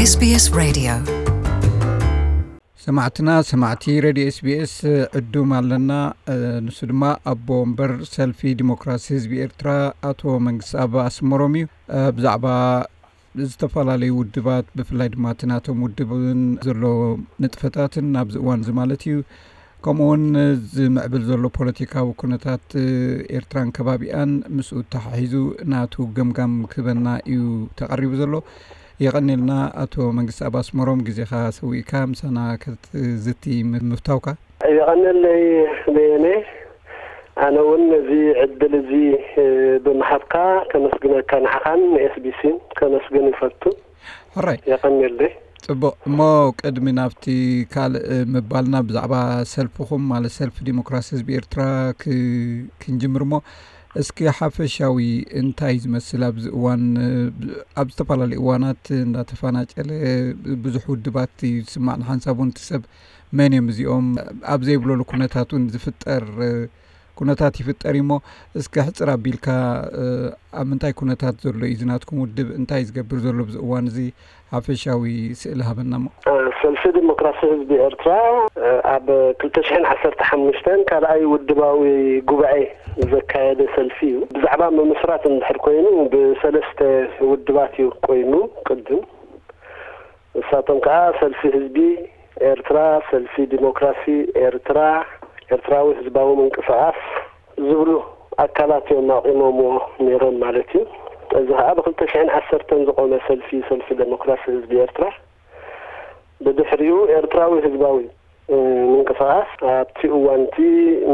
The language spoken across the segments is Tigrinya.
SBS Radio. ሰማዕትና ሰማዕቲ ሬድዮ ኤስቢኤስ ዕዱም ኣለና። ንሱ ድማ ኣቦ ወንበር ሰልፊ ዲሞክራሲ ህዝቢ ኤርትራ ኣቶ መንግስቲ ኣብ ኣስመሮም እዩ። ብዛዕባ ዝተፈላለዩ ውድባት፣ ብፍላይ ድማ እቲ ናቶም ውድብን ዘሎ ንጥፈታትን ኣብዚ እዋን እዚ ማለት እዩ፣ ከምኡ እውን ዝምዕብል ዘሎ ፖለቲካዊ ኩነታት ኤርትራን ከባቢኣን ምስኡ ተሓሒዙ ናቱ ገምጋም ክህበና እዩ ተቐሪቡ ዘሎ። የቐኔልና ኣቶ መንግስቲ ኣብ ኣስመሮም ግዜኻ ሰዊእካ ምሳና ክትዝቲ ምፍታውካ። የቐነለይ በየነ። ኣነ እውን ነዚ ዕድል እዚ ብምሃብካ ከመስግነካ፣ ንዓኻን ንኤስቢሲን ከመስግን ይፈቱ። ሕራይ። የቐነለይ። ጽቡቕ። እሞ ቅድሚ ናብቲ ካልእ ምባልና፣ ብዛዕባ ሰልፍኹም ማለት ሰልፊ ዲሞክራሲ ህዝቢ ኤርትራ ክ-፣ ክንጅምር እሞ፣ እስኪ ሓፈሻዊ እንታይ ዝመስል ኣብዚ እዋን፣ ኣብ ዝተፈላለዩ እዋናት እንዳተፈናጨለ ብዙሕ ውድባት እዩ ዝስማዕ። ንሓንሳብ እውን እቲ ሰብ መን እዮም እዚኦም ኣብ ዘይብለሉ ኩነታት እውን ዝፍጠር ኩነታት ይፍጠር እዩ። እሞ እስኪ ሕጽር ኣቢልካ ኣብ ምንታይ ኩነታት ዘሎ እዩ እዚ ናትኩም ውድብ፣ እንታይ ዝገብር ዘሎ ኣብዚ እዋን እዚ ሓፈሻዊ ስእሊ ሃበና እሞ። ሰልፊ ዲሞክራሲ ህዝቢ ኤርትራ ኣብ ክልተ ሽሕን ዓሰርተ ሓሙሽተን ካልኣይ ውድባዊ ጉባኤ ዘካየደ ሰልፊ እዩ። ብዛዕባ ምምስራት እንድሕር ኮይኑ ብሰለስተ ውድባት እዩ ኮይኑ። ቅድም ንሳቶም ከዓ ሰልፊ ህዝቢ ኤርትራ፣ ሰልፊ ዲሞክራሲ ኤርትራ፣ ኤርትራዊ ህዝባዊ ምንቅስቃስ ዝብሉ ኣካላት እዮም ኣቂሞምዎ ነይሮም ማለት እዩ። እዚ ከዓ ብክልተ ሽሕን ዓሰርተን ዝቆመ ሰልፊ፣ ሰልፊ ዴሞክራሲ ህዝቢ ኤርትራ። ብድሕሪኡ ኤርትራዊ ህዝባዊ ምንቅስቃስ ኣብቲ እዋን እቲ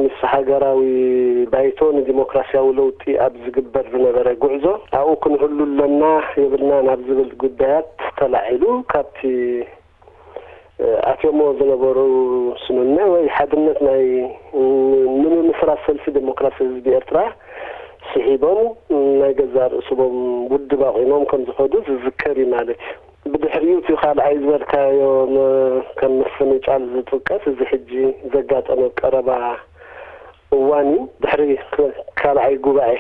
ምስ ሃገራዊ ባይቶ ንዲሞክራሲያዊ ለውጢ ኣብ ዝግበር ዝነበረ ጉዕዞ ኣብኡ ክንህሉ ኣለና የብልናን ኣብ ዝብል ጉዳያት ተላዒሉ ካብቲ ኣትዮሞ ዝነበሩ ስምምዕ ወይ ሓድነት ናይ ንምምስራት ሰልፊ ዴሞክራሲ ህዝቢ ኤርትራ ስሒቦም ናይ ገዛእ ርእስቦም ውድብ ኣቑሞም ከም ዝኸዱ ዝዝከር እዩ ማለት እዩ። ብድሕሪኡ እቲ ካልኣይ ዝበልካዮ ከም መፈነጫል ዝጥቀስ እዚ ሕጂ ዘጋጠመ ቀረባ እዋን እዩ። ድሕሪ ካልኣይ ጉባኤ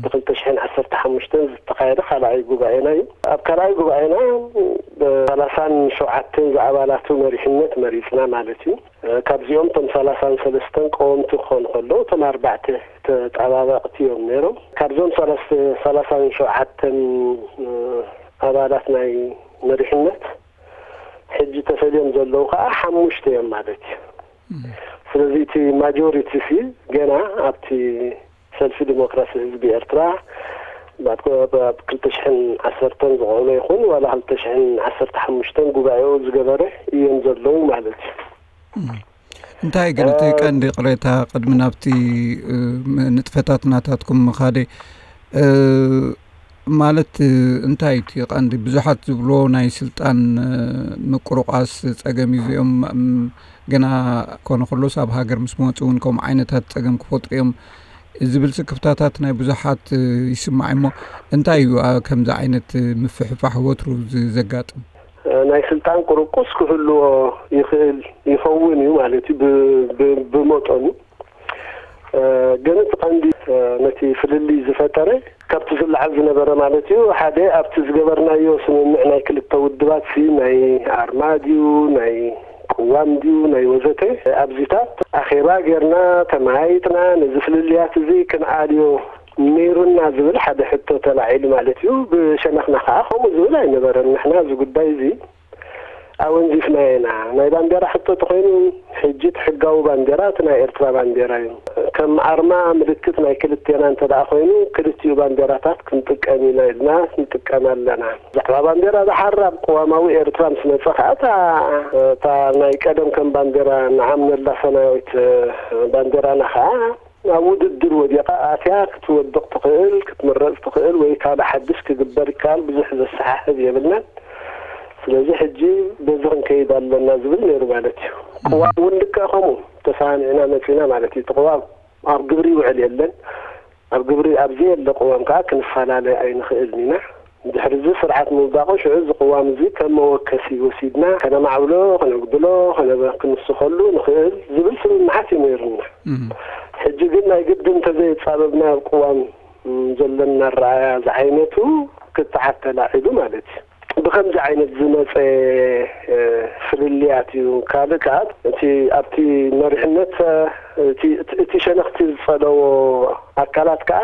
ብክልተ ሽሕን ዓሰርተ ሓሙሽተን ዝተኻየደ ካልኣይ ጉባኤና እዩ። ኣብ ካልኣይ ጉባኤና ብሰላሳን ሸውዓተን ዝኣባላቱ መሪሕነት መሪፅና ማለት እዩ። ካብዚኦም እቶም ሰላሳን ሰለስተን ቀወምቲ ክኾኑ ከለዉ እቶም ኣርባዕተ ተጣባበቕቲ እዮም ነይሮም። ካብዞም ሰላሳን ሸውዓተን ኣባላት ናይ መሪሕነት ሕጂ ተፈልዮም ዘለዉ ከዓ ሓሙሽተ እዮም ማለት እዩ። ስለዚ እቲ ማጆሪቲ ሲ ገና ኣብቲ ሰልፊ ዲሞክራሲ ህዝቢ ኤርትራ ኣብ ክልተ ሽሕን ዓሰርተን ዝቆመ ይኹን ዋላ ክልተ ሽሕን ዓሰርተ ሓሙሽተን ጉባኤኡ ዝገበረ እዮም ዘለዉ ማለት እዩ። እንታይ ግን እቲ ቀንዲ ቅሬታ ቅድሚ ናብቲ ንጥፈታት ናታትኩም ምኻደ ማለት እንታይ እቲ ቀንዲ ብዙሓት ዝብልዎ ናይ ስልጣን ምቁርቋስ ጸገም እዩ። እዚኦም ገና ኮነ ከሎስ ኣብ ሃገር ምስ መፁ እውን ከምኡ ዓይነታት ጸገም ክፈጥሩ እዮም ዝብል ስክፍታታት ናይ ብዙሓት ይስማዕ እሞ እንታይ እዩ ከምዚ ዓይነት ምፍሕፋሕ ወትሩ ዘጋጥም? ናይ ስልጣን ቁርቁስ ክህልዎ ይኽእል ይኸውን እዩ ማለት እዩ ብመጠኑ። ግን እቲ ቀንዲ ነቲ ፍልልይ ዝፈጠረ ካብቲ ዝለዓል ዝነበረ ማለት እዩ። ሓደ ኣብቲ ዝገበርናዮ ስምምዕ ናይ ክልተ ውድባት ሲ ናይ ኣርማ ድዩ ናይ ቅዋም ድዩ ናይ ወዘተ ኣብዚታት ኣኼባ ጌርና ተመያይጥና ነዚ ፍልልያት እዚ ክንኣልዮ ነይሩና ዝብል ሓደ ሕቶ ተላዒሉ ማለት እዩ። ብሸነኽና ከዓ ከምኡ ዝብል ኣይነበረን። ንሕና እዚ ጉዳይ እዚ ኣወንዚፍናዮ ኢና። ናይ ባንዴራ ሕቶ ተኮይኑ ሕጂ እቲ ሕጋዊ ባንዴራ እቲ ናይ ኤርትራ ባንዴራ እዩ። ከም ኣርማ ምልክት ናይ ክልቴና እንተ ደኣ ኮይኑ ክልቲኡ ባንዴራታት ክንጥቀም ኢና ኢልና ንጥቀም ኣለና። ብዛዕባ ባንዴራ ደሓር ኣብ ቅዋማዊ ኤርትራ ምስ መጸ ከዓ እታ እታ ናይ ቀደም ከም ባንዴራ ንዓምነላ ሰማያዊት ባንዴራና ከዓ ኣብ ውድድር ወዲቓ ኣትያ ክትወድቕ ትኽእል ክትምረፅ ትኽእል ወይ ካልእ ሓድሽ ክግበር ይከኣል ብዙሕ ዘሰሓሕብ የብልናን። ስለዚ ሕጂ በዚ ክንከይድ ኣለና ዝብል ነይሩ ማለት እዩ። ቅዋም እውን ልክዕ ከምኡ ተሰማሚዕና መፂና ማለት እዩ። እቲ ቅዋም ኣብ ግብሪ ይውዕል የለን። ኣብ ግብሪ ኣብ ዘየለ ቅዋም ከዓ ክንፈላለ ኣይንኽእልን ኢና። ድሕሪ እዚ ስርዓት ምውዳቑ ሽዑ እዚ ቅዋም እዚ ከም መወከሲ ወሲድና ከነማዕብሎ ከነጉድሎ ከነ ክንስኸሉ ንኽእል ዝብል ስምምዓት እዩ ነይሩና። ሕጂ ግን ናይ ግድን እንተዘየፃበብና ኣብ ቅዋም ዘለና ኣረኣያ ዝዓይነቱ ክትዓት ተላዒሉ ማለት እዩ። ብኸምዚ ዓይነት ዝመፀ ፍልልያት እዩ። ካልእ ከዓ እቲ ኣብቲ መሪሕነት እቲ ሸነኽቲ ዝፀለዎ ኣካላት ከዓ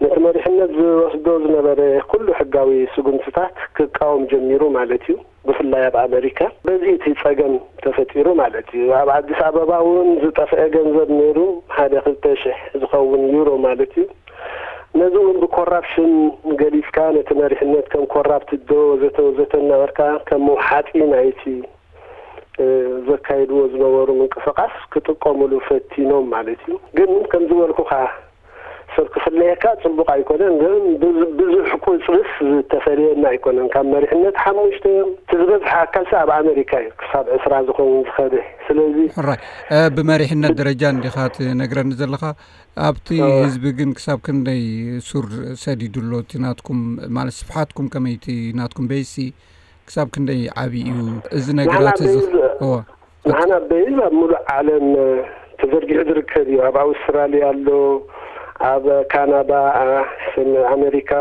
ነቲ መሪሕነት ዝወስዶ ዝነበረ ኩሉ ሕጋዊ ስጉምትታት ክቃወም ጀሚሩ ማለት እዩ። ብፍላይ ኣብ ኣመሪካ በዚ እቲ ፀገም ተፈጢሩ ማለት እዩ። ኣብ ኣዲስ ኣበባ እውን ዝጠፍአ ገንዘብ ነይሩ፣ ሓደ ክልተ ሽሕ ዝኸውን ዩሮ ማለት እዩ። ነዚ እውን ብኮራፕሽን ገሊፅካ ነቲ መሪሕነት ከም ኮራፕት ዶ ወዘተ ወዘተ እናበልካ ከም መውሓጢ ናይቲ ዘካይድዎ ዝነበሩ ምንቅስቃስ ክጥቀሙሉ ፈቲኖም ማለት እዩ። ግን ከም ዝበልኩኻ ሰብ ክፍለየካ ፅቡቕ ኣይኮነን። ግን ብዙሕ ቁፅርስ ዝተፈለየና ኣይኮነን። ካብ መሪሕነት ሓሙሽተ እዮም። እቲ ዝበዝሐ ኣካልሲ ኣብ ኣመሪካ እዩ ክሳብ ዕስራ ዝኸውን ዝኸደ። ስለዚ ሕራይ ብመሪሕነት ደረጃ እንዲኻ ትነግረኒ ዘለኻ። ኣብቲ ህዝቢ ግን ክሳብ ክንደይ ሱር ሰዲዱ ኣሎ? እቲ ናትኩም ማለት ስፍሓትኩም ከመይ? እቲ ናትኩም ቤይሲ ክሳብ ክንደይ ዓብዪ እዩ? እዚ ነገራት እዚ ንሕና ቤይዝ ኣብ ሙሉእ ዓለም ተዘርጊሑ ዝርከብ እዩ። ኣብ ኣውስትራልያ ኣሎ፣ ኣብ ካናዳ፣ ኣሜሪካ፣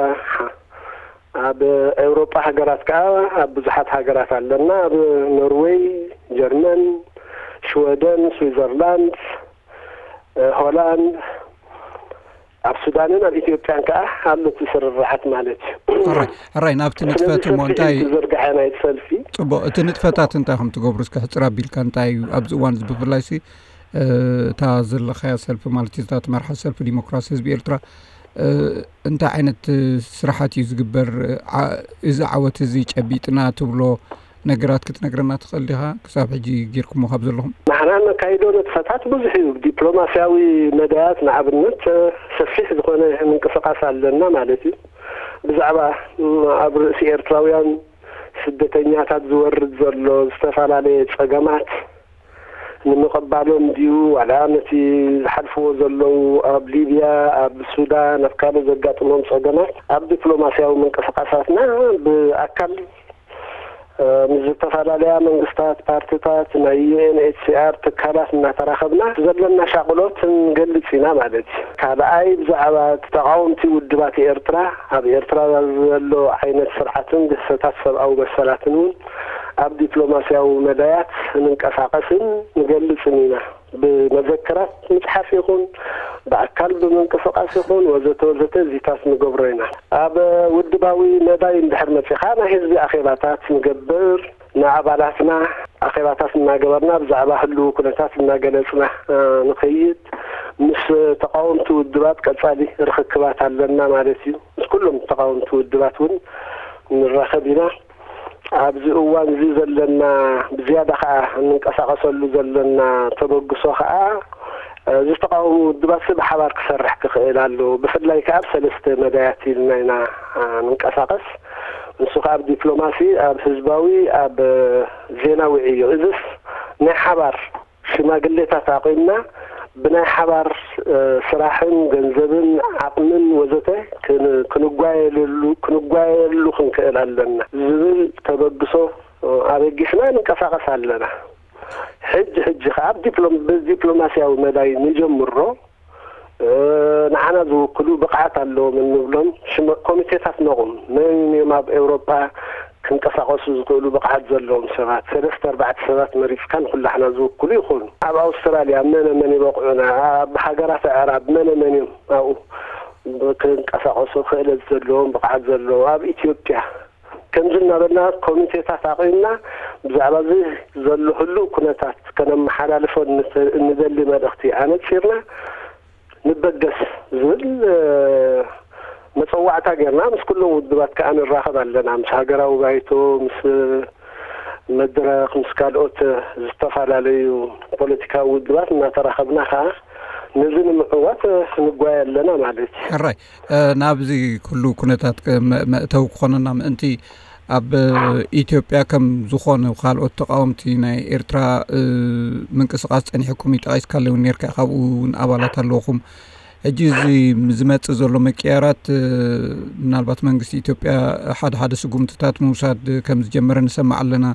ኣብ ኤውሮጳ ሃገራት ከዓ ኣብ ብዙሓት ሃገራት ኣለና። ኣብ ኖርዌይ፣ ጀርመን፣ ሽወደን፣ ስዊዘርላንድ፣ ሆላንድ፣ ኣብ ሱዳንን ኣብ ኢትዮጵያን ከዓ ኣሎ እቲ ስርርዓት ማለት እዩ። ሕራይ ናብቲ ንጥፈት እሞ እንታይ ዝዘርግሐ ናይ ሰልፊ? ፅቡቕ፣ እቲ ንጥፈታት እንታይ ከም ትገብሩ እስኪ ሕፅር ኣቢልካ እንታይ እዩ ኣብዚ እዋን እዚ ብፍላይ ሲ እታ ዘለኻያ ሰልፊ ማለት እዩ እታ ትመርሓ ሰልፊ ዲሞክራሲ ህዝቢ ኤርትራ እንታይ ዓይነት ስራሓት እዩ ዝግበር? እዚ ዓወት እዚ ጨቢጥና ትብሎ ነገራት ክትነግረና ትኽእል ዲኻ? ክሳብ ሕጂ ጌርኩሞ ካብ ዘለኹም ንሕና ነካይዶ ንጥፈታት ብዙሕ እዩ። ብዲፕሎማስያዊ መዳያት ንኣብነት ሰፊሕ ዝኾነ ምንቅስቃስ ኣለና ማለት እዩ። ብዛዕባ ኣብ ርእሲ ኤርትራውያን ስደተኛታት ዝወርድ ዘሎ ዝተፈላለየ ጸገማት ንምቕባሎም ድዩ ዋላ ነቲ ዝሓልፍዎ ዘለዉ ኣብ ሊብያ፣ ኣብ ሱዳን፣ ኣብ ካልእ ዘጋጥሞም ጸገማት ኣብ ዲፕሎማስያዊ ምንቅስቃሳትና ብኣካል ምስ ዝተፈላለያ መንግስታት፣ ፓርትታት፣ ናይ ዩኤንኤችሲኣር ትካላት እናተራኸብና ዘለና ሻቕሎት ንገልጽ ኢና ማለት እዩ። ካልኣይ ብዛዕባ ተቓወምቲ ውድባት ኤርትራ ኣብ ኤርትራ ዘሎ ዓይነት ስርዓትን ግህሰታት ሰብኣዊ መሰላትን እውን ኣብ ዲፕሎማስያዊ መዳያት ንንቀሳቐስን ንገልጽን ኢና። ብመዘክራት ምፅሓፍ ይኹን ብኣካል ብምንቅስቃስ ይኹን ወዘተ ወዘተ እዚታት ንገብሮ ኢና። ኣብ ውድባዊ መዳይ እንድሕር መፂኻ ናይ ህዝቢ ኣኼባታት ንገብር፣ ንኣባላትና ኣኼባታት እናገበርና ብዛዕባ ህልው ኩነታት እናገለፅና ንኸይድ፣ ምስ ተቃወምቲ ውድባት ቀፃሊ ርኽክባት ኣለና ማለት እዩ። ምስ ኩሎም ተቃወምቲ ውድባት እውን ንራኸብ ኢና። ኣብዚ እዋን እዚ ዘለና ብዝያዳ ከዓ እንንቀሳቀሰሉ ዘለና ተበግሶ ከዓ ዝተቃወሙ ውድባት ብሓባር ክሰርሕ ክኽእል ኣለዎ። ብፍላይ ከዓ ኣብ ሰለስተ መዳያት ኢልና ኢና ንንቀሳቀስ። ንሱ ከዓ ኣብ ዲፕሎማሲ፣ ኣብ ህዝባዊ፣ ኣብ ዜናዊ ዕዮ። እዚስ ናይ ሓባር ሽማግሌታት ኣቒምና ብናይ ሓባር ስራሕን ገንዘብን ዓቕምን ወዘተ ክንጓየሉ ክንክእል ኣለና ዝብል ተበግሶ ኣበጊስና ንንቀሳቐስ ኣለና። ሕጂ ሕጂ ከዓ ብዲፕሎማስያዊ መዳይ ንጀምሮ። ንዓና ዝውክሉ ብቕዓት ኣለዎም እንብሎም ኮሚቴታት ነቑም። መን እዮም ኣብ ኤውሮጳ ክንቀሳቐሱ ዝኽእሉ ብቕዓት ዘለዎም ሰባት ሰለስተ ኣርባዕተ ሰባት መሪፅካ ንኩላሕና ዝውክሉ ይኾኑ። ኣብ ኣውስትራልያ መነ መን ይበቕዑና? ኣብ ሃገራት ኣዕራብ መነ መን እዮም ኣብኡ ክንቀሳቐሱ ክእለት ዘለዎም ብቕዓት ዘለዎም? ኣብ ኢትዮጵያ ከምዚ እናበልና ኮሚቴታት ኣቒምና ብዛዕባ እዚ ዘሎ ህሉው ኩነታት ከነመሓላልፎ እንደሊ መልእኽቲ ኣነፂርና ንበገስ ዝብል መፀዋዕታ ጌርና ምስ ኩሎም ውድባት ከዓ ንራኸብ ኣለና። ምስ ሃገራዊ ባይቶ፣ ምስ መድረኽ፣ ምስ ካልኦት ዝተፈላለዩ ፖለቲካዊ ውድባት እናተራኸብና ከዓ ነዚ ንምዕዋት ንጓየ ኣለና ማለት እዩ። ሕራይ ናብዚ ኩሉ ኩነታት መእተዊ ክኾነና ምእንቲ ኣብ ኢትዮጵያ ከም ዝኾኑ ካልኦት ተቃወምቲ ናይ ኤርትራ ምንቅስቃስ ጸኒሕኩም እዩ ጠቂስካለይ እውን ነርካ ካብኡ እውን ኣባላት ኣለውኹም ሕጂ እዚ ዝመጽእ ዘሎ መቀያራት ምናልባት መንግስቲ ኢትዮጵያ ሓደ ሓደ ስጉምትታት ምውሳድ ከም ዝጀመረ ንሰማዕ ኣለና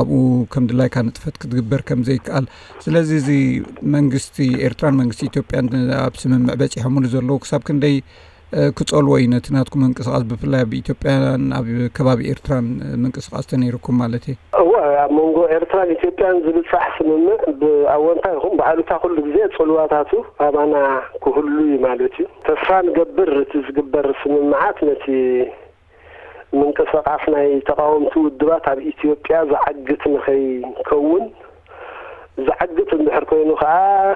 ኣብኡ ከም ድላይካ ንጥፈት ክትግበር ከም ዘይከኣል ስለዚ እዚ መንግስቲ ኤርትራን መንግስቲ ኢትዮጵያን ኣብ ስምምዕ በጺሖምሉ ዘለዉ ክሳብ ክንደይ ክጸልዎ እዩ ነቲ ናትኩም ምንቅስቃስ፣ ብፍላይ ኣብ ኢትዮጵያን ኣብ ከባቢ ኤርትራን ምንቅስቃስ ተነይርኩም ማለት እዩ። እወ፣ ኣብ መንጎ ኤርትራን ኢትዮጵያን ዝብጻሕ ስምምዕ ብኣወንታ ይኹን ብኣሉታ ኩሉ ግዜ ጽልዋታቱ ኣባና ክህሉ እዩ ማለት እዩ። ተስፋ ንገብር እቲ ዝግበር ስምምዓት ነቲ ምንቅስቃስ ናይ ተቃወምቲ ውድባት ኣብ ኢትዮጵያ ዝዓግት ንኸይከውን፣ ዝዓግት እንድሕር ኮይኑ ከዓ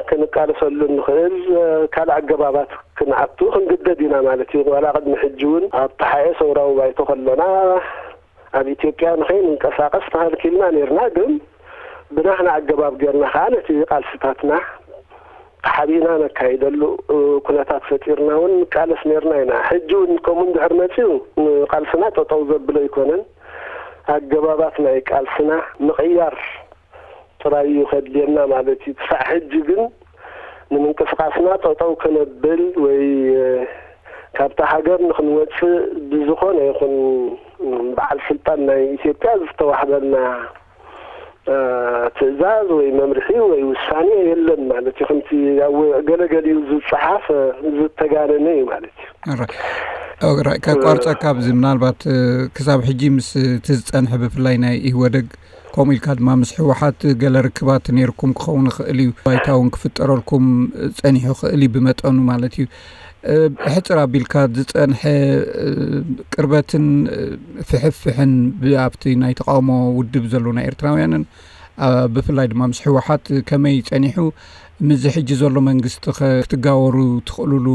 ክንቃለሰሉ እንኽእል ካልእ ኣገባባት ክንኣቱ ክንግደድ ኢና ማለት እዩ። ዋላ ቅድሚ ሕጂ እውን ኣብ ተሓኤ ሰውራዊ ባይቶ ከለና ኣብ ኢትዮጵያ ንኸይንንቀሳቀስ ተኸልኪልና ነርና፣ ግን ብናህና ኣገባብ ጌርና ከዓ ነቲ ቃልስታትና ተሓቢእና ነካይደሉ ኩነታት ፈጢርና እውን ንቃለስ ነርና ኢና። ሕጂ እውን ከምኡ እንድሕር መፅዩ ቃልስና ጠጠው ዘብሎ ኣይኮነን። ኣገባባት ናይ ቃልስና ምቕያር ጥራይ እዩ ከድልየና ማለት እዩ። ክሳዕ ሕጂ ግን ንምንቅስቃስና ጠጠው ከነብል ወይ ካብታ ሃገር ንክንወፅእ ብዝኾነ ይኹን በዓል ስልጣን ናይ ኢትዮጵያ ዝተዋህበና ትእዛዝ ወይ መምርሒ ወይ ውሳኔ የለን ማለት እዩ። ከምቲ ኣብ ገለገሊኡ ዝፀሓፍ ዝተጋነነ እዩ ማለት እዩ። ከቋርፀካ ኣብዚ ምናልባት ክሳብ ሕጂ ምስ እቲ ዝፀንሐ ብፍላይ ናይ ኢህወደግ ከምኡ ኢልካ ድማ ምስ ህወሓት ገለ ርክባት ነይርኩም ክኸውን ይኽእል እዩ። ባይታ እውን ክፍጠረልኩም ፀኒሑ ይኽእል እዩ ብመጠኑ ማለት እዩ። ብሕፅር ኣቢልካ ዝፀንሐ ቅርበትን ፍሕፍሕን ኣብቲ ናይ ተቃውሞ ውድብ ዘሎ ናይ ኤርትራውያንን ብፍላይ ድማ ምስ ህወሓት ከመይ ፀኒሑ፣ ምስዚ ሕጂ ዘሎ መንግስቲ ክትጋወሩ ትኽእሉሉ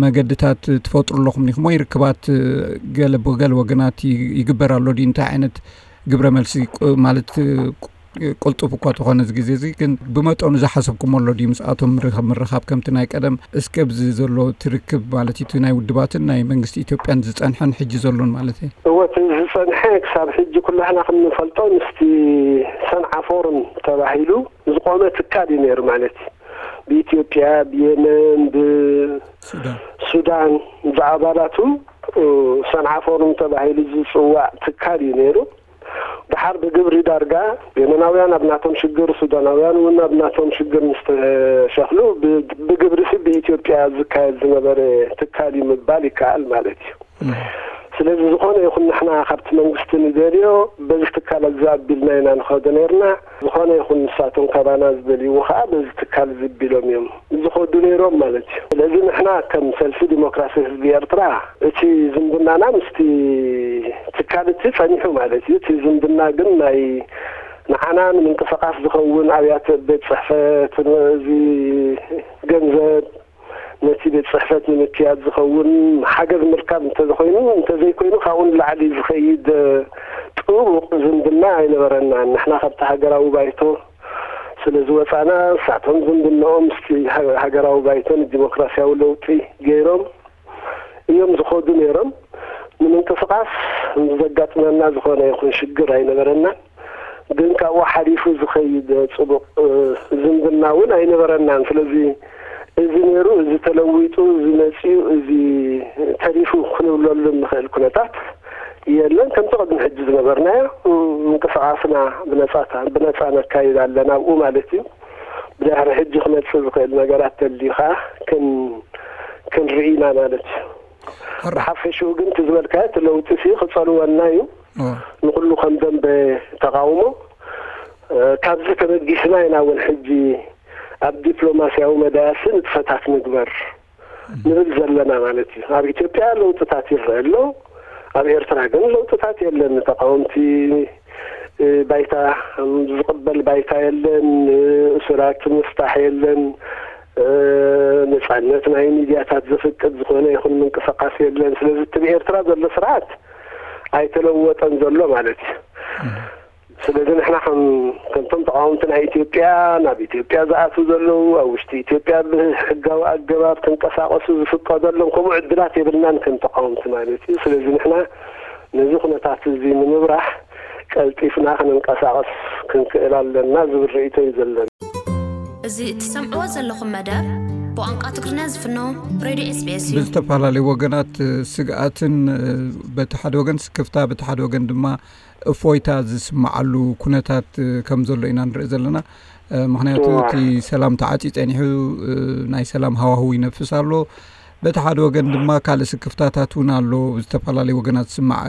መገድታት ትፈጥሩ ኣለኹም ዲኹም ወይ ርክባት ገለ ብገለ ወገናት ይግበር ኣሎ ድዩ? እንታይ ዓይነት ግብረ መልሲ ማለት ቅልጡፍ እኳ ተኾነ እዚ ግዜ እዚ ግን ብመጠኑ ዝሓሰብኩም ኣሎ ድዩ ምስኣቶም ምርኻብ ከምቲ ናይ ቀደም እስከ ብዚ ዘሎ ትርክብ ማለት እቲ ናይ ውድባትን ናይ መንግስቲ ኢትዮጵያን ዝፀንሐን ሕጂ ዘሎን ማለት እዩ? እወ እቲ ዝፀንሐ ክሳብ ሕጂ ኩላህና ክንፈልጦ ምስቲ ሰንዓ ፎርም ተባሂሉ ዝቆመ ትካል እዩ ነይሩ ማለት እዩ። ብኢትዮጵያ ብየመን ብሱዳን ዝኣባላቱ ሰንዓ ፎርም ተባሂሉ ዝፅዋዕ ትካል እዩ ነይሩ። ድሓር ብግብሪ ዳርጋ የመናውያን ኣብ ናቶም ሽግር፣ ሱዳናውያን እውን ኣብ ናቶም ሽግር ምስ ተሸኽሉ ብግብሪ ሲ ብኢትዮጵያ ዝካየድ ዝነበረ ትካል እዩ ምባል ይከኣል ማለት እዩ። ስለዚ ዝኾነ ይኹን ንሕና ካብቲ መንግስቲ ንደልዮ በዚ ትካል እዚ ኣቢልና ኢና ንኸዶ ነርና። ዝኾነ ይኹን ንሳቶም ካባና ዝደልይዎ ከዓ በዚ ትካል እዚ ኣቢሎም እዮም ዝኸዱ ነይሮም ማለት እዩ። ስለዚ ንሕና ከም ሰልፊ ዲሞክራሲ ህዝቢ ኤርትራ እቲ ዝምድናና ምስቲ ትካል እቲ ጸኒሑ ማለት እዩ። እቲ ዝምድና ግን ናይ ንዓና ንምንቅስቃስ ዝኸውን ኣብያተ ቤት ጽሕፈት እዚ ገንዘብ ነቲ ቤት ጽሕፈት ንምክያድ ዝኸውን ሓገዝ ምርካብ እንተዘኮይኑ እንተዘይኮይኑ ካብኡ ንላዕሊ ዝኸይድ ጥቡቕ ዝምድና ኣይነበረናን። ንሕና ካብቲ ሃገራዊ ባይቶ ስለ ዝወፃና ንሳቶም ዝምድንኦም ምስቲ ሃገራዊ ባይቶ ንዲሞክራሲያዊ ለውጢ ገይሮም እዮም ዝኸዱ ነይሮም። ንምንቅስቃስ ዘጋጥመና ዝኾነ ይኹን ሽግር ኣይነበረናን። ግን ካብኡ ሓሊፉ ዝኸይድ ፅቡቕ ዝምድና እውን ኣይነበረናን። ስለዚ እዚ ነይሩ፣ እዚ ተለዊጡ፣ እዚ መፂኡ፣ እዚ ተሪፉ ክንብለሉ እንኽእል ኩነታት የለን። ከምቲ ቅድሚ ሕጂ ዝነበርናዮ ምንቅስቃስና ብነፃ ነካይድ ኣለና ኣብኡ ማለት እዩ። ብድሕሪ ሕጂ ክመፅእ ዝኽእል ነገራት ተልዩ ከዓ ክንርኢ ኢና ማለት እዩ። ብሓፈሽኡ ግን እቲ ዝበልካዮ እቲ ለውጢ ሲ ክፀልወና እዩ። ንኩሉ ከም ደንበ ተቃውሞ ካብዚ ተበጊስና ኢና እውን ሕጂ ኣብ ዲፕሎማስያዊ መዳያሲ ንጥፈታት ንግበር ንብል ዘለና ማለት እዩ። ኣብ ኢትዮጵያ ለውጥታት ይረአ ኣሎ። ኣብ ኤርትራ ግን ለውጥታት የለን። ንተቃወምቲ ባይታ ዝቕበል ባይታ የለን። እሱራት ምስጣሕ የለን። ነፃነት ናይ ሚድያታት ዘፍቅድ ዝኾነ ይኹን ምንቅስቃስ የለን። ስለዚ እቲ ብኤርትራ ዘሎ ስርዓት ኣይተለወጠን ዘሎ ማለት እዩ። ስለዚ ንሕና ከም ከምቶም ተቃወምቲ ናይ ኢትዮጵያ ናብ ኢትዮጵያ ዝኣትዉ ዘለዉ ኣብ ውሽጢ ኢትዮጵያ ብሕጋዊ ኣገባብ ክንቀሳቀሱ ዝፍቀደሎም ከምኡ ዕድላት የብልናን ከም ተቃወምቲ ማለት እዩ። ስለዚ ንሕና ነዚ ኩነታት እዚ ንምብራህ ቀልጢፍና ክንንቀሳቀስ ክንክእል ኣለና ዝብል ርእይቶ እዩ ዘለና። እዚ እትሰምዕዎ ዘለኹም መደብ ብቋንቋ ትግርኛ ዝፍኖ ሬድዮ ኤስቢኤስ እዩ። ብዝተፈላለዩ ወገናት ስግኣትን በቲ ሓደ ወገን ስክፍታ በቲ ሓደ ወገን ድማ እፎይታ ዝስምዓሉ ኩነታት ከም ዘሎ ኢና ንርኢ ዘለና። ምክንያቱ እቲ ሰላም ተዓፅዩ ፀኒሑ ናይ ሰላም ሃዋህው ይነፍስ ኣሎ። በቲ ሓደ ወገን ድማ ካልእ ስክፍታታት እውን ኣሎ፣ ዝተፈላለዩ ወገናት ዝስማዕ።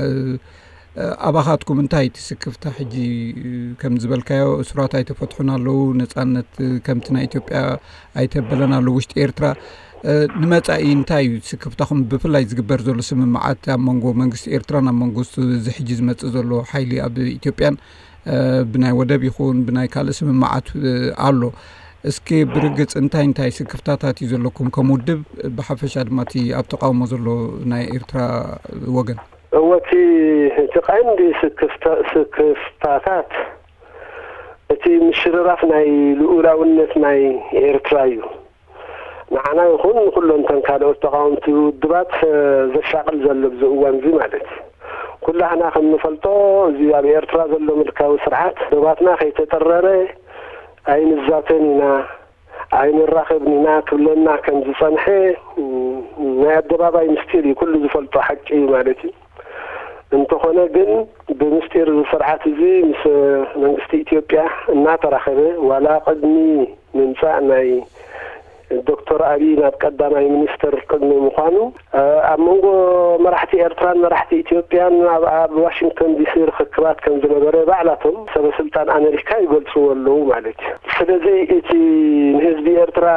እ፣ ኣባኻትኩም እንታይ እቲ ስክፍታ? ሕጂ፣ እ፣ ከም ዝበልካዮ፣ እሱራት ኣይተፈትሑን ኣለዉ፣ ነጻነት፣ እ፣ ከምቲ ናይ ኢትዮጵያ ኣይተበለን ኣሎ ውሽጢ ኤርትራ። እ፣ ንመጻኢ እንታይ እዩ ስክፍታኹም? ብፍላይ ዝግበር ዘሎ ስምምዓት ኣብ መንጎ መንግስቲ ኤርትራን ኣብ መንጎ እዚ ሕጂ ዝመጽእ ዘሎ ሓይሊ ኣብ ኢትዮጵያን፣ እ፣ ብናይ ወደብ ይኹን ብናይ ካልእ ስምምዓት፣ እ፣ ኣሎ። እስኪ ብርግጽ እንታይ እንታይ ስክፍታታት እዩ ዘለኩም ከም ውድብ? ብሓፈሻ ድማ እቲ ኣብ ተቃውሞ ዘሎ ናይ ኤርትራ ወገን። እወ፣ እቲ፣ እቲ ቀንዲ ስክፍታ-፣ ስክፍታታት እቲ ምሽርራፍ ናይ ልኡላውነት ናይ ኤርትራ እዩ። ንዓና ይኹን ንኩሎም እተን ካልኦት ተቃወምቲ ውድባት፣ እ፣ ዘሻቅል ዘሎ ኣብዚ እዋን እዚ ማለት እዩ። ኩላህና ከም ንፈልጦ፣ እዚ ኣብ ኤርትራ ዘሎ ምልካዊ ስርዓት ዶባትና ከይተጠረረ ኣይንዛተን ኢና፣ ኣይንራኸብን ኢና ክብለና ከም ዝጸንሐ፣ ም፣ ናይ ኣደባባይ ምስጢር እዩ፣ ኩሉ ዝፈልጦ ሓቂ እዩ ማለት እዩ። እንተኾነ ግን፣ ብምስጢር እዚ ስርዓት እዚ ምስ መንግስቲ ኢትዮጵያ እናተራኸበ፣ ዋላ ቅድሚ ምምጻእ ናይ ዶክተር ኣብይ ናብ ቀዳማይ ሚኒስትር ቅድሚ ምዃኑ፣ እ፣ ኣብ መንጎ መራሕቲ ኤርትራን መራሕቲ ኢትዮጵያን ኣብ፣ ኣብ ዋሽንግተን ዲሲ ርኽክባት ከም ዝነበረ ባዕላቶም ሰበ ስልጣን ኣሜሪካ ይገልጽዎ ኣለዉ ማለት እዩ። ስለዚ እቲ ንህዝቢ ኤርትራ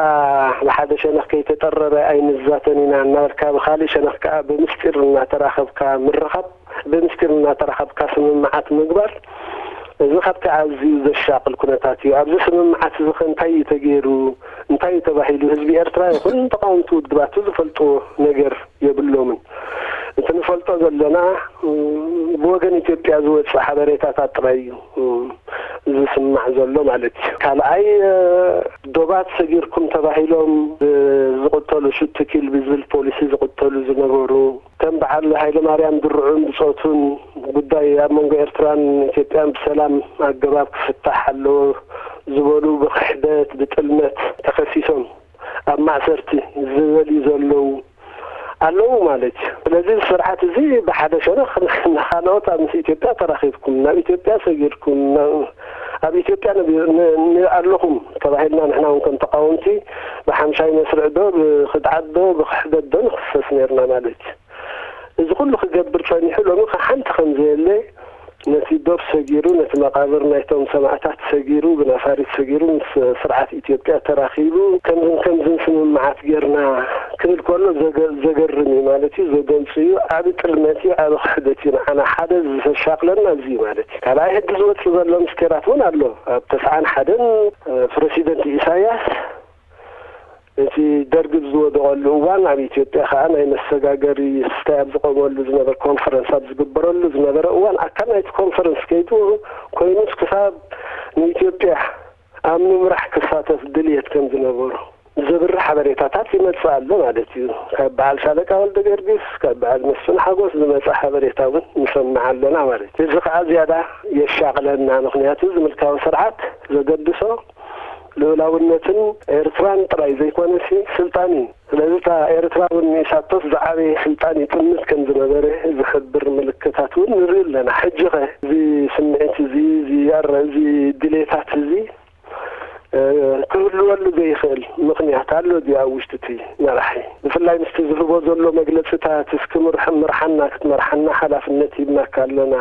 ብሓደ ሸነኽ ከይተጠረረ ኣይንዛተን ኢና እናበልካ፣ ብኻልእ ሸነኽ ከኣ ብምስጢር እናተራኸብካ ምርኻብ፣ ብምስጢር እናተራኸብካ ስምምዓት ምግባር፣ እዚ ካብቲ ኣዝዩ ዘሻቕል ኩነታት እዩ። ኣብዚ ስምምዓት እዚ ኸ እንታይ እዩ ተገይሩ? እንታይ እዩ ተባሂሉ? ህዝቢ ኤርትራ ይኹን ተቓወምቲ ውድባቱ ዝፈልጥዎ ነገር የብሎምን። እቲ ንፈልጦ ዘለና፣ እ፣ ብወገን ኢትዮጵያ ዝወጽእ ሓበሬታታት ጥራይ እዩ፣ እ፣ ዝስማዕ ዘሎ ማለት እዩ። ካልኣይ፣ እ፣ ዶባት ሰጊርኩም ተባሂሎም ብ-፣ ዝቕተሉ፣ ሹት ቱ ኪል ብዝብል ፖሊሲ ዝቕተሉ ዝነበሩ፣ ከም በዓል ሃይለማርያም ድርዑን ብጾቱን ጉዳይ ኣብ መንጎ ኤርትራን ኢትዮጵያን ብሰላም ኣገባብ ክፍታሕ ኣለዎ ዝበሉ ብኽሕደት፣ ብጥልመት ተኸሲሶም ኣብ ማእሰርቲ ዝበልዩ ዘለዉ ኣለዉ ማለት እዩ። ስለዚ እዚ ስርዓት እዚ ብሓደ ሸነኽ ንኻልኦት ኣብ ምስ ኢትዮጵያ ተራኺብኩም፣ ናብ ኢትዮጵያ ሰጊድኩም፣ ናብ፣ ኣብ ኢትዮጵያ ነቢ-፣ ን-፣ ን-፣ ኣለኹም ተባሂልና ንሕና እውን ከም ተቃወምቲ ብሓምሻይ መስርዕ ዶ፣ ብኽድዓት ዶ፣ ብኽሕደት ዶ ንኽሰስ ነርና ማለት እዩ። እዚ ኩሉ ክገብር ጸኒሑ ሎሚ ከ ሓንቲ ከም ዘየለ ነቲ ዶብ ሰጊሩ፣ ነቲ መቓብር ናይቶም ሰማእታት ሰጊሩ፣ ብነፋሪት ሰጊሩ ምስ ስርዓት ኢትዮጵያ ተራኺቡ፣ ከምዝን ከምዝን ስምምዓት ጌርና ክብል ከሎ ዘገ-፣ ዘገርም እዩ ማለት እዩ፣ ዘደንጹ እዩ፣ ዓቢ ጥልመት እዩ፣ ዓቢ ክሕደት እዩ። ንዓና ሓደ ዘሻቕለና እዚ እዩ ማለት እዩ። ካልኣይ ሕጂ ዝወጽእ ዘሎ ምስጢራት እውን ኣሎ። ኣብ ተስዓን ሓደን፣ እ፣ ፕረሲደንት ኢሳያስ እቲ ደርግ ዝወደቐሉ እዋን ኣብ ኢትዮጵያ ከኣ ናይ መሰጋገሪ ስታይ ኣብ ዝቆመሉ ዝነበረ፣ ኮንፈረንስ ኣብ ዝግበረሉ ዝነበረ እዋን ኣካል ናይቲ ኮንፈረንስ ከይዱ ኮይኑስ ክሳብ ንኢትዮጵያ ኣብ ምምራሕ ክሳተፍ ድልየት ከም ዝነበሮ ዘብርህ ሓበሬታታት ይመጽእ ኣሎ ማለት እዩ። ካብ በዓል ሻለቃ ወልደ ጊዮርጊስ፣ ካብ በዓል መስፍን ሓጎስ ዝመጸ ሓበሬታ እውን ንሰምዕ ኣለና ማለት እዩ። እዚ ከኣ ዝያዳ የሻቕለና። ምኽንያቱ እዚ ምልካዊ ስርዓት ዘገድሶ ልኡላውነትን ኤርትራን ጥራይ ዘይኮነሲ ስልጣን እዩ። ስለዚ እታ ኤርትራ እውን ንኢሳቶስ ዝዓበየ ስልጣን ይጥምት ከም ዝነበረ ዝሕብር ምልክታት እውን ንርኢ ኣለና። ሕጂ ኸ እዚ ስምዒት እዚ፣ እዚ ኣረ-፣ እዚ ድሌታት እዚ፣ እ፣ ክህልወሉ ዘይኽእል ምኽንያት ኣሎ ድዩ ኣብ ውሽጢ እቲ መራሒ? ብፍላይ ምስቲ ዝህቦ ዘሎ መግለጽታት፣ እስኪ ምርሕ-፣ ምርሓና፣ ክትመርሓና ሓላፍነት ሂብናካ ኣለና፣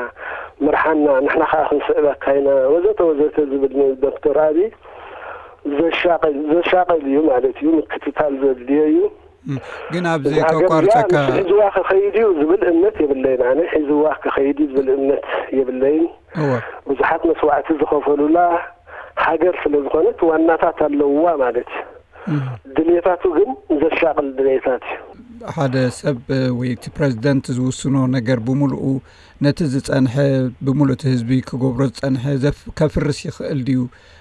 ምርሓና፣ ንሕና ከኣ ክንስዕበካ ኢና፣ ወዘተ ወዘተ ዝብል ንዶክተር ኣብይ ዘሻቕል፣ ዘሻቕል እዩ ማለት እዩ፣ ምክትታል ዘድልዮ እዩ። እም፣ ግን ኣብዚ እዛ ሃገር እዚኣ ከቋርጸካ ንሱ ሒዝዋ ክኸይድ እዩ ዝብል እምነት የብለይን። ኣነ ሒዝዋ ክኸይድ እዩ ዝብል እምነት የብለይን። እወ። ብዙሓት መስዋዕቲ ዝኸፈሉላ ሃገር ስለ ዝኾነት ዋናታት ኣለውዋ ማለት እዩ። እም። ድሌታቱ ግን ዘሻቕል ድሌታት እዩ። ሓደ ሰብ፣ እ፣ ወይ እቲ ፕረዚደንት ዝውስኖ ነገር ብምሉኡ ነቲ ዝጸንሐ፣ ብምሉእ እቲ ህዝቢ ክገብሮ ዝጸንሐ ዘፍ-፣ ከፍርስ ይኽእል ድዩ?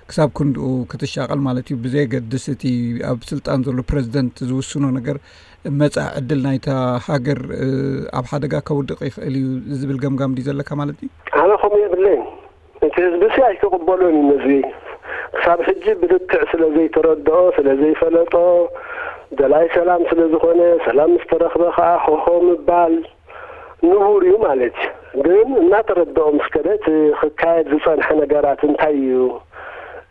ክሳብ ክንድኡ ክትሻቐል ማለት እዩ። ብዘየገድስ እቲ ኣብ ስልጣን ዘሎ ፕረዚደንት ዝውስኖ ነገር መጻኢ ዕድል ናይታ ሃገር፣ እ፣ ኣብ ሓደጋ ከውድቕ ይኽእል እዩ ዝብል ገምጋም ድዩ ዘለካ ማለት እዩ? ኣነ ከምኡ የብለይን። እቲ ህዝቢ ሲ ኣይክቕበሎን እዩ ነዚ። ክሳብ ሕጂ ብልክዕ ስለ ዘይተረድኦ፣ ስለ ዘይፈለጦ፣ ደላይ ሰላም ስለ ዝኾነ፣ ሰላም ምስ ተረኽበ ከኣ ሆሆ ምባል ንቡር እዩ ማለት እዩ። ግን እናተረድኦ ምስ ከደ እቲ ክካየድ ዝጸንሐ ነገራት እንታይ እዩ?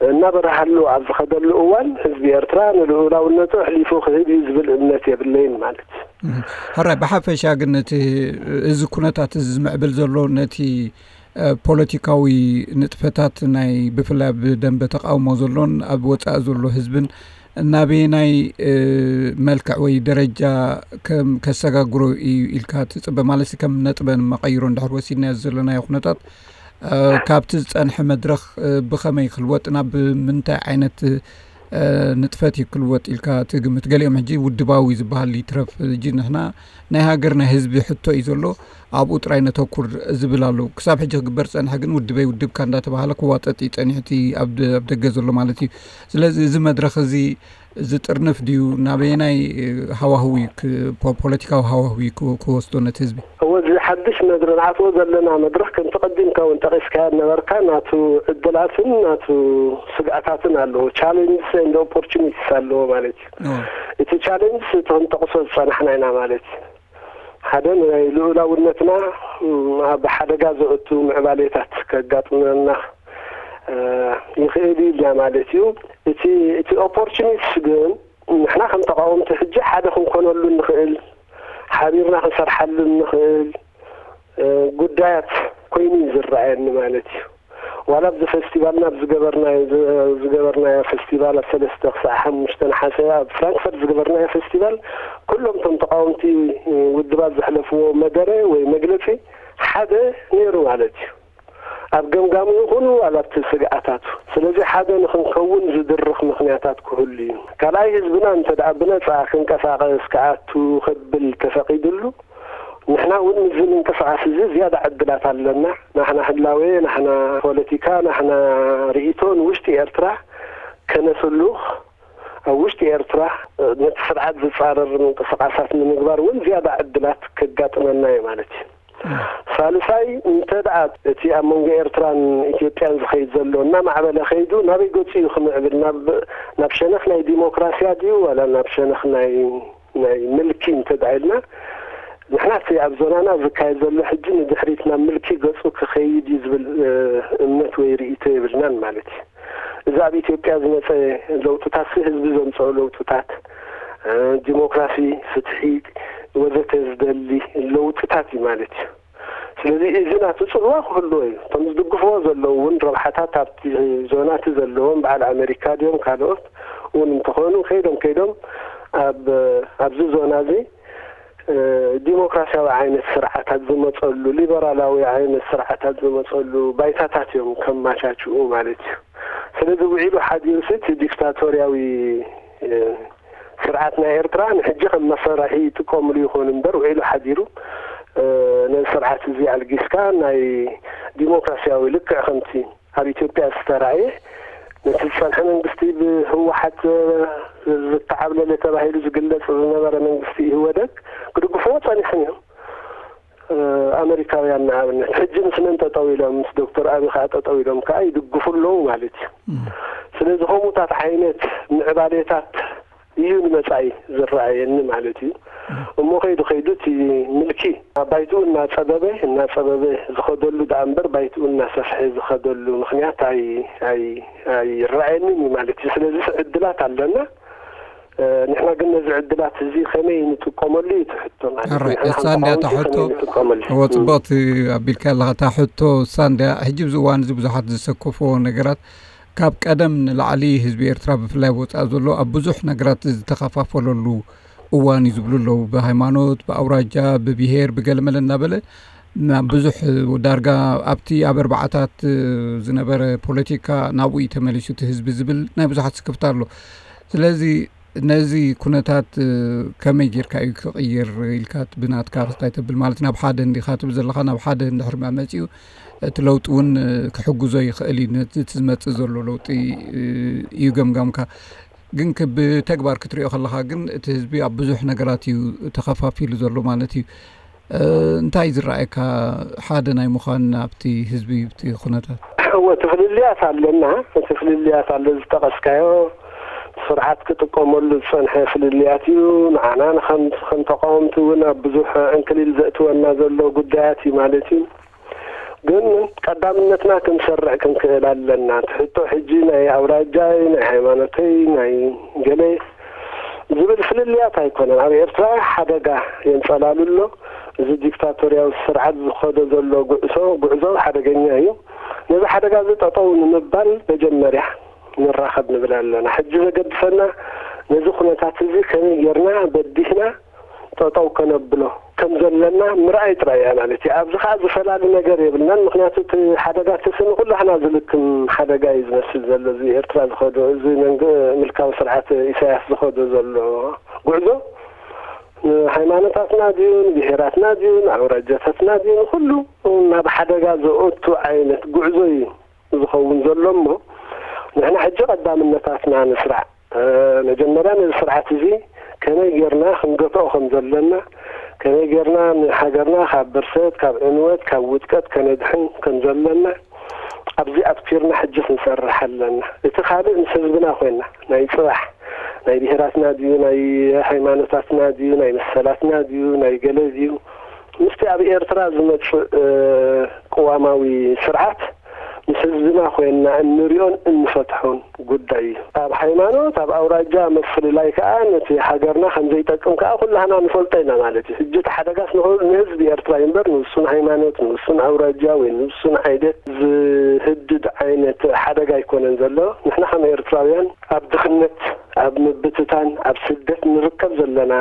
እናበረሃሉ ኣብ ዝኸደሉ እዋን ህዝቢ ኤርትራ ንልኡላውነቱ ኣሕሊፉ ክህብ እዩ ዝብል እምነት የብለይን ማለት እዩ። ሕራይ ብሓፈሻ ግን እቲ እዚ ኩነታት እዚ ዝምዕብል ዘሎ ነቲ ፖለቲካዊ ንጥፈታት ናይ ብፍላይ ኣብ ደንበ ተቃውሞ ዘሎን ኣብ ወፃኢ ዘሎ ህዝብን ናበየናይ መልክዕ ወይ ደረጃ ከም ከሰጋግሮ እዩ ኢልካ ትፅበ ማለት ከም ነጥበን መቀይሮ እንድሕር ወሲድናዮ ዘለናዮ ኩነታት ካብቲ ዝፀንሐ መድረኽ ብኸመይ ክልወጥ ናብ ምንታይ ዓይነት ንጥፈት እዩ ክልወጥ ኢልካ ትግምት? ገሊኦም ሕጂ ውድባዊ ዝበሃል ይትረፍ ሕጂ ንሕና ናይ ሃገር ናይ ህዝቢ ሕቶ እዩ ዘሎ ኣብኡ ጥራይ ነተኩር ዝብል ኣሎ። ክሳብ ሕጂ ክግበር ዝፀንሐ ግን ውድበይ ውድብካ እንዳተባሃለ ክዋጠጥ እዩ ፀኒሑ እቲ ኣብ ደገ ዘሎ ማለት እዩ። ስለዚ እዚ መድረኽ እዚ ዝጥርንፍ ድዩ? ናበየናይ ሃዋህው እዩ ፖለቲካዊ ሃዋህው እዩ ክወስዶ ነቲ ህዝቢ? እወ እዚ ሓድሽ መድረ ንኣትዎ ዘለና መድረኽ ከምቲ ቀዲምካ እውን ጠቂስካዮ ነበርካ ናቱ ዕድላትን ናቱ ስግኣታትን ኣለዎ። ቻሌንጅስ ኤንድ ኦፖርቹኒቲስ ኣለዎ ማለት እዩ። እቲ ቻሌንጅስ እቲ ክንጠቅሶ ዝፀናሕና ኢና ማለት እዩ። ሓደ ናይ ልኡላውነትና ኣብ ሓደጋ ዘእቱ ምዕባሌታት ከጋጥመና ይኽእል ኢልና ማለት እዩ። እቲ እቲ ኦፖርቹኒቲስ ግን ንሕና ከም ተቃወምቲ ሕጂ ሓደ ክንኮነሉ ንኽእል፣ ሓቢርና ክንሰርሓሉ ንኽእል ጉዳያት ኮይኑ እዩ ዝረኣየኒ ማለት እዩ። ዋላ ኣብዚ ፌስቲቫልና ኣብ ዝገበርናዮ ዝገበርናዮ ፌስቲቫል ኣብ ሰለስተ ክሳዕ ሓሙሽተ ነሓሰ ኣብ ፍራንክፈርት ዝገበርናዮ ፌስቲቫል ኩሎም እቶም ተቃወምቲ ውድባት ዘሕለፍዎ መደረ ወይ መግለፂ ሓደ ነይሩ ማለት እዩ። ኣብ ገምጋሙ ይኹን ዋላ ኣብቲ ስግኣታቱ። ስለዚ ሓደ ንኽንከውን ዝድርኽ ምኽንያታት ክህሉ እዩ። ካልኣይ ህዝብና እንተ ደኣ ብነጻ ክንቀሳቐስ ክኣቱ ከብል ተፈቒዱሉ ንሕና እውን ምስዚ ምንቅስቓስ እዚ ዝያዳ ዕድላት ኣለና። ናሕና ህላዌ፣ ናሕና ፖለቲካ፣ ናሕና ርእይቶ ንውሽጢ ኤርትራ ከነስሉኽ ኣብ ውሽጢ ኤርትራ ነቲ ስርዓት ዝጻረር ምንቅስቓሳት ንምግባር እውን ዝያዳ ዕድላት ከጋጥመና እዩ ማለት እዩ። ሳልሳይ እንተ ደኣ እቲ ኣብ መንጎ ኤርትራን ኢትዮጵያን ዝኸይድ ዘሎ እናማዕበለ ከይዱ ናበይ ገጹ እዩ ክምዕብል? ናብ ናብ ሸነኽ ናይ ዲሞክራስያ ድዩ ዋላ ናብ ሸነኽ ናይ ናይ ምልኪ እንተ ደኣ ኢልና ንሕና እቲ ኣብ ዞናና ዝካየድ ዘሎ ሕጂ ንድሕሪት ናብ ምልኪ ገጹ ክኸይድ እዩ ዝብል እምነት ወይ ርእይቶ የብልናን ማለት እዩ። እዚ ኣብ ኢትዮጵያ ዝመፀ ለውጥታት ህዝቢ ዘምፀኦ ለውጥታት ዲሞክራሲ፣ ፍትሒ ወዘተ ዝደሊ ለውጥታት እዩ ማለት እዩ። ስለዚ እዚ ናቱ ፅልዋ ክህልዎ እዩ። እቶም ዝድግፍዎ ዘለዉ እውን ረብሓታት ኣብቲ ዞና እቲ ዘለዎም በዓል ኣሜሪካ ድዮም ካልኦት እውን እንተኾኑ ከይዶም ከይዶም ኣብ ኣብዚ ዞና እዚ ዲሞክራሲያዊ ዓይነት ስርዓታት ዝመፀሉ ሊበራላዊ ዓይነት ስርዓታት ዝመፀሉ ባይታታት እዮም ከማቻችኡ ማለት እዩ። ስለዚ ውዒሉ ሓዲሩ ሲ እቲ ዲክታቶርያዊ ስርዓት ናይ ኤርትራ ንሕጂ ከም መሳርሒ ይጥቀምሉ ይኾኑ እምበር ውዒሉ ሓዲሩ ነዚ ስርዓት እዚ ኣልጊስካ ናይ ዲሞክራሲያዊ ልክዕ ከምቲ ኣብ ኢትዮጵያ ዝተራእየ ነቲ ዝጸንሐ መንግስቲ ብህወሓት ዝተዓብለለ ተባሂሉ ዝግለጽ ዝነበረ መንግስቲ ኢህወደግ ክድግፍዎ ጸኒሖም እዮም። ኣመሪካውያን ንኣብነት ሕጂ ምስ መን ጠጠው ኢሎም ምስ ዶክተር ኣቢ ከዓ ጠጠው ኢሎም ከዓ ይድግፉ ኣለዉ ማለት እዩ። ስለዚ ከምኡታት ዓይነት ምዕባሌታት እዩ ንመጻኢ ዝረኣየኒ ማለት እዩ። እሞ ከይዱ ከይዱ እቲ ምልኪ ኣብ ባይትኡ እናጸበበ እናጸበበ ዝኸደሉ ደኣ እምበር ባይትኡ እናሰፍሐ ዝኸደሉ ምኽንያት ኣይረኣየንን እዩ ማለት እዩ። ስለዚ ዕድላት ኣለና። ንሕና ግን ነዚ ዕድላት እዚ ከመይ ንጥቀመሉ እዩ ትሕቶ ማለት እዩ። እሳ እንድያ እታ ሕቶ እወ ጽቡቕቲ ኣቢልካ ኣለኻ እታ ሕቶ እሳ እንድያ ሕጂ ብዚ እዋን እዚ ብዙሓት ዝሰከፍዎ ነገራት ካብ ቀደም ንላዕሊ ህዝቢ ኤርትራ ብፍላይ ወፃእ ዘሎ ኣብ ብዙሕ ነገራት ዝተኸፋፈለሉ እዋን እዩ ዝብሉ ኣለዉ። ብሃይማኖት፣ ብኣውራጃ፣ ብብሄር፣ ብገለመለ እናበለ ናብ ብዙሕ ዳርጋ ኣብቲ ኣብ ኣርባዓታት ዝነበረ ፖለቲካ ናብኡ እዩ ተመሊሱ እቲ ህዝቢ ዝብል ናይ ብዙሓት ስክፍታ ኣሎ። ስለዚ ነዚ ኩነታት ከመይ ጌርካ እዩ ክቕይር ኢልካ ብናትካ ክስታይ ተብል ማለት ናብ ሓደ እንዲኻ ትብል ዘለኻ ናብ ሓደ እንድሕር መፂኡ እቲ ለውጢ እውን ክሕግዞ ይኽእል እዩ ነቲ ዝመፅእ ዘሎ ለውጢ እዩ ገምጋምካ ግን ብተግባር ክትሪኦ ከለኻ ግን እቲ ህዝቢ ኣብ ብዙሕ ነገራት እዩ ተኸፋፊሉ ዘሎ ማለት እዩ እንታይ ዝረኣየካ ሓደ ናይ ምዃን ኣብቲ ህዝቢ እቲ ኩነታት እወ እቲ ፍልልያት ኣለና እቲ ፍልልያት ኣሎ ዝጠቐስካዮ ስርዓት ክጥቀመሉ ዝፀንሐ ፍልልያት እዩ ንዓና ንከም ተቃወምቲ እውን ኣብ ብዙሕ ዕንክሊል ዘእትወና ዘሎ ጉዳያት እዩ ማለት እዩ ግን ቀዳምነትና ክንሰርዕ ክንክእል ኣለና። እቲ ሕቶ ሕጂ ናይ ኣውራጃይ፣ ናይ ሃይማኖተይ፣ ናይ ገለ ዝብል ፍልልያት ኣይኮነን። ኣብ ኤርትራ ሓደጋ የንጸላሉ ኣሎ። እዚ ዲክታቶርያዊ ስርዓት ዝኸዶ ዘሎ ጉዕዞ፣ ጉዕዞ ሓደገኛ እዩ። ነዚ ሓደጋ እዚ ጠጠው ንምባል መጀመርያ ንራኸብ ንብል ኣለና። ሕጂ ዘገድሰና ነዚ ኩነታት እዚ ከመይ ጌርና በዲህና ጠጠው ከነብሎ ከም ዘለና ምርኣይ ጥራይ እያ ማለት እዩ። ኣብዚ ኸኣ ዝፈላሊ ነገር የብልናን። ምኽንያቱ እቲ ሓደጋ እቲ ንኹላህና ዝልክም ሓደጋ እዩ ዝመስል ዘሎ። እዚ ኤርትራ ዝኸዶ፣ እዚ መንግ-፣ ምልካዊ ስርዓት ኢሳያስ ዝኸዶ ዘሎ ጉዕዞ ንሃይማኖታትና ድዩ፣ ንብሄራትና ድዩ፣ ንኣውራጃታትና ድዩ፣ ንኹሉ ናብ ሓደጋ ዘእቱ ዓይነት ጉዕዞ እዩ ዝኸውን ዘሎ እሞ፣ ንሕና ሕጂ ቀዳምነታትና ንስራዕ። እ፣ መጀመርያ ነዚ ስርዓት እዚ ከመይ ጌርና ክንገትኦ ከም ዘለና፣ ከመይ ጌርና ንሃገርና ካብ ብርሰት፣ ካብ ዕንወት፣ ካብ ውድቀት ከነድሕን ከም ዘለና፣ ኣብዚ ኣትኲርና ሕጂ ክንሰርሕ ኣለና። እቲ ካልእ ምስ ህዝብና ኮይንና፣ ናይ ጽባሕ፣ ናይ ብሄራትና ድዩ፣ ናይ ሃይማኖታትና ድዩ፣ ናይ መሰላትና ድዩ፣ ናይ ገለ ድዩ፣ ምስቲ ኣብ ኤርትራ ዝመጽእ፣ እ፣ ቅዋማዊ ስርዓት ምስ ህዝብና ኮይንና እንሪኦን እንፈትሖን ጉዳይ እዩ። ኣብ ሃይማኖት፣ ኣብ ኣውራጃ ምፍልላይ ከኣ ነቲ ሃገርና ከም ዘይጠቅም ከኣ ኩላህና ንፈልጦ ኢና ማለት እዩ። ሕጂ እቲ ሓደጋስ ንኹ-፣ ንህዝቢ ኤርትራ እዩ እምበር ንውሱን ሃይማኖት፣ ንውሱን ኣውራጃ ወይ ንውሱን ዓይነት ዝህድድ ዓይነት ሓደጋ ኣይኮነን ዘሎ። ንሕና ከም ኤርትራውያን ኣብ ድኽነት፣ ኣብ ምብትታን፣ ኣብ ስደት ንርከብ ዘለና፣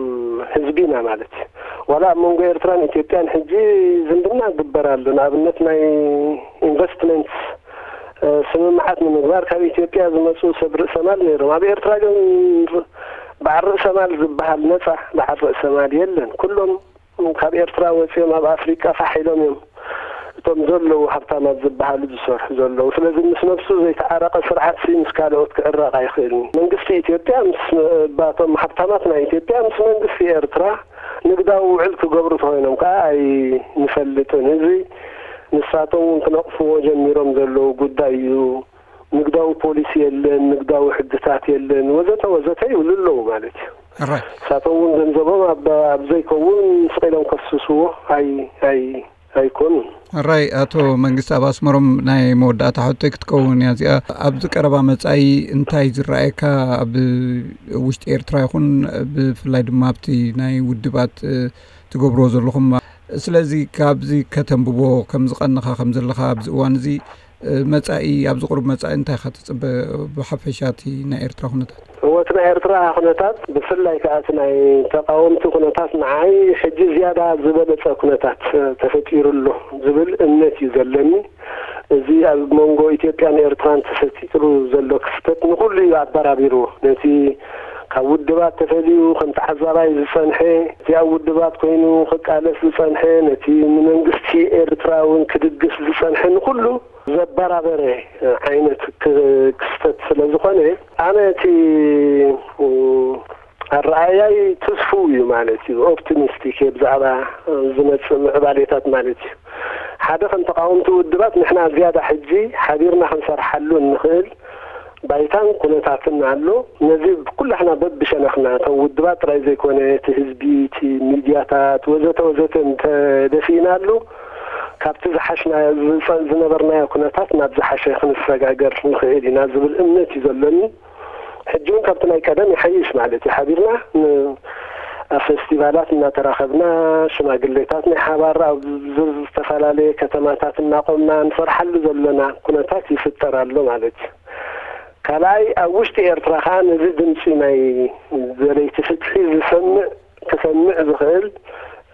እም፣ ህዝቢ ኢና ማለት እዩ። ዋላ ኣብ መንጎ ኤርትራን ኢትዮጵያን ሕጂ ዝምድና ይግበር ኣሎ። ንኣብነት ናይ ኢንቨስትመንት፣ እ፣ ስምምዓት ንምግባር ካብ ኢትዮጵያ ዝመጹ ሰብ ርእሰ ማል ነይሮም። ኣብ ኤርትራ ግን በዓል ርእሰ ማል ዝበሃል ነጻ በዓል ርእሰ ማል የለን። ኩሎም ካብ ኤርትራ ወጺኦም ኣብ ኣፍሪቃ ፋሕ ኢሎም እዮም። እቶም ዘለዉ ሃብታማት ዝበሃሉ ዝሰርሑ ዘለዉ። ስለዚ ምስ ነብሱ ዘይተዓረቐ ስርዓት ሲ ምስ ካልኦት ክዕረቕ ኣይኽእልን። መንግስቲ ኢትዮጵያ ምስ፣ ባቶም ሃብታማት ናይ ኢትዮጵያ ምስ መንግስቲ ኤርትራ ንግዳዊ ውዕል ክገብሩ ተኾይኖም ከኣ ኣይንፈልጥን። እዚ ንሳቶም እውን ክነቕፍዎ ጀሚሮም ዘለዉ ጉዳይ እዩ። ንግዳዊ ፖሊሲ የለን፣ ንግዳዊ ሕግታት የለን፣ ወዘተ ወዘተ ይብሉ ኣለዉ ማለት እዩ። ሕራይ። ንሳቶም እውን ገንዘቦም ኣብ፣ ኣብ ዘይከውን ስቕ ኢሎም ከፍስስዎ ኣይ-፣ ኣይ-፣ ኣይኮኑን። ሕራይ፣ ኣቶ መንግስቲ፣ ኣብ ኣስመሮም ናይ መወዳእታ ሕቶይ ክትከውን እያ እዚኣ። ኣብዚ ቀረባ መጻኢ እንታይ ዝረኣየካ፣ ኣብ ውሽጢ ኤርትራ ይኹን ብፍላይ ድማ ኣብቲ ናይ ውድባት፣ እ፣ ትገብርዎ ዘለኹም? ስለዚ ካብዚ ከተንብቦ ከም ዝቐንኻ ከም ዘለኻ ኣብዚ እዋን እዚ፣ እ፣ መጻኢ፣ ኣብዚ ቁሩብ መጻኢ እንታይ ኢኻ ትጽበ ብሓፈሻ እቲ ናይ ኤርትራ ኩነታት? እወ፣ እቲ ናይ ኤርትራ ኩነታት፣ ብፍላይ ከኣ እቲ ናይ ተቃወምቲ ኩነታት ንዓይ ሕጂ ዝያዳ ዝበለጸ ኩነታት፣ እ፣ ተፈጢሩ ኣሎ ዝብል እምነት እዩ ዘለኒ። እዚ ኣብ መንጎ ኢትዮጵያን ኤርትራን ተፈጢሩ ዘሎ ክስተት ንኹሉ እዩ ኣበራቢርዎ። ነቲ ካብ ውድባት ተፈልዩ ከም ተዓዛባይ ዝጸንሐ፣ እቲ ኣብ ውድባት ኮይኑ ክቃለስ ዝጸንሐ፣ ነቲ ንመንግስቲ ኤርትራ እውን ክድግፍ ዝጸንሐ፣ ንኹሉ ዘበራበረ ዓይነት ክ-፣ ክስተት ስለ ዝኾነ፣ ኣነ እቲ፣ እ፣ ኣረኣያይ ትስፉው እዩ ማለት እዩ። ኦፕቲሚስቲክ እየ ብዛዕባ ዝመጽእ ምዕባሌታት ማለት እዩ። ሓደ፣ ከም ተቃወምቲ ውድባት ንሕና ዝያዳ ሕጂ ሓቢርና ክንሰርሓሉ እንኽእል ባይታን ኩነታትን ኣሎ። ነዚ ኩላሕና በብሸነኽና፣ እቶም ውድባት ጥራይ ዘይኮነ፣ እቲ ህዝቢ፣ እቲ ሚድያታት ወዘተ ወዘተ እንተደፊእናሉ፣ ካብቲ ዝሓሽና፣ ዝጸ-፣ ዝነበርናዮ ኩነታት ናብ ዝሓሸ ክንሰጋገር ንኽእል ኢና ዝብል እምነት እዩ ዘለኒ። ሕጂ እውን ካብቲ ናይ ቀደም ይሓይሽ ማለት እዩ። ሓቢርና ን-፣ ኣብ ፌስቲቫላት እናተራኸብና፣ ሽማግሌታት ናይ ሓባር ኣብ ዝ-፣ ዝተፈላለየ ከተማታት እናቆምና ንሰርሓሉ ዘለና ኩነታት ይፍጠር ኣሎ ማለት እዩ። ካልኣይ፣ ኣብ ውሽጢ ኤርትራ ከኣ ነዚ ድምጺ ናይ ደለይቲ ፍትሒ ዝሰምዕ፣ ክሰምዕ ዝኽእል፣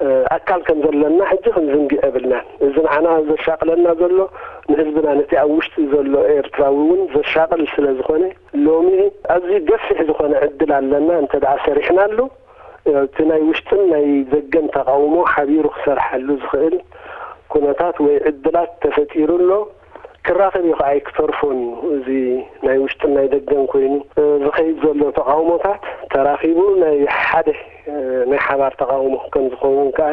እ፣ ኣካል ከም ዘለና ሕጂ ክንዝንግዕ የብልናን። እዚ ንዓና ዘሻቕለና ዘሎ ንህዝብና፣ ነቲ ኣብ ውሽጢ ዘሎ ኤርትራዊ እውን ዘሻቕል ስለ ዝኾነ፣ ሎሚ ኣዝዩ ገፊሕ ዝኾነ ዕድል ኣለና። እንተ ደኣ ሰሪሕናሉ፣ እቲ ናይ ውሽጥን ናይ ደገን ተቃውሞ ሓቢሩ ክሰርሓሉ ዝኽእል ኩነታት ወይ ዕድላት ተፈጢሩ ኣሎ። ክራኸብ እዩ ከኣ ኣይክተርፎን እዩ። እዚ ናይ ውሽጥን ናይ ደገን ኮይኑ፣ እ፣ ዝኸይድ ዘሎ ተቃውሞታት ተራኺቡ ናይ ሓደ፣ እ፣ ናይ ሓባር ተቃውሞ ከም ዝኸውን ከኣ፣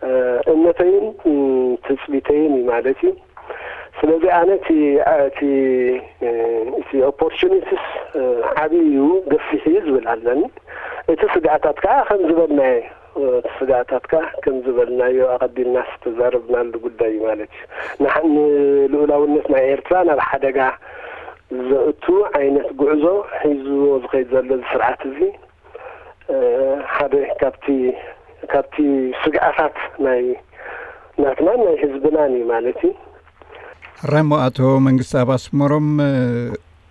እ፣ እምነተይን፣ እ፣ ትጽቢተይን እዩ ማለት እዩ። ስለዚ ኣነ እቲ፣ እቲ፣ እ፣ እቲ ኦፖርቹኒቲስ፣ እ፣ ዓብዪ እዩ፣ ገፊሕ እዩ ዝብል ኣለኒ። እቲ ስግኣታት ከኣ ከም ዝበልናዮ እቲ ስጋኣታትካ ከም ዝበልናዮ ኣቐዲምና ዝተዛረብናሉ ጉዳይ እዩ ማለት እዩ። ንሓ- ንልኡላውነት ናይ ኤርትራ ናብ ሓደጋ ዘእቱ ዓይነት ጉዕዞ ሒዝዎ ዝኸይድ ዘሎ እዚ ስርዓት እዚ ሓደ ካብቲ ካብቲ ስግኣታት ናይ ናትናን ናይ ህዝብናን እዩ ማለት እዩ። ሕራይ እሞ ኣቶ መንግስቲ ኣብ ኣስመሮም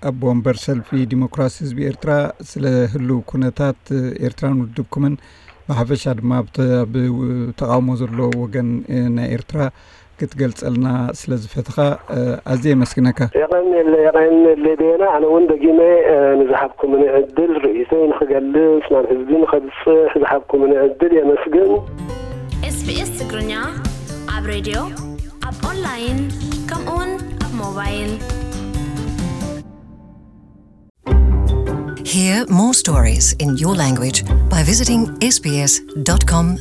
ኣቦ ወንበር ሰልፊ ዲሞክራሲ ህዝቢ ኤርትራ፣ ስለ ህልው ኩነታት ኤርትራን ውድብኩምን ብሓፈሻ ድማ ኣብ ተቃውሞ ዘሎ ወገን ናይ ኤርትራ ክትገልጸልና ስለ ዝፈትኻ ኣዝየ የመስግነካ። የቐንየለ የቐንየለ ቤና። ኣነ እውን ደጊመ ንዝሃብኩምኒ ዕድል ርእይቶይ ንክገልጽ ናብ ህዝቢ ንከብጽሕ ዝሃብኩምኒ ዕድል የመስግን። SBS ትግርኛ ኣብ ሬድዮ፣ ኣብ ኦንላይን፣ ከምኡውን ኣብ ሞባይል። Hear more stories in your language by visiting sbs.com.au.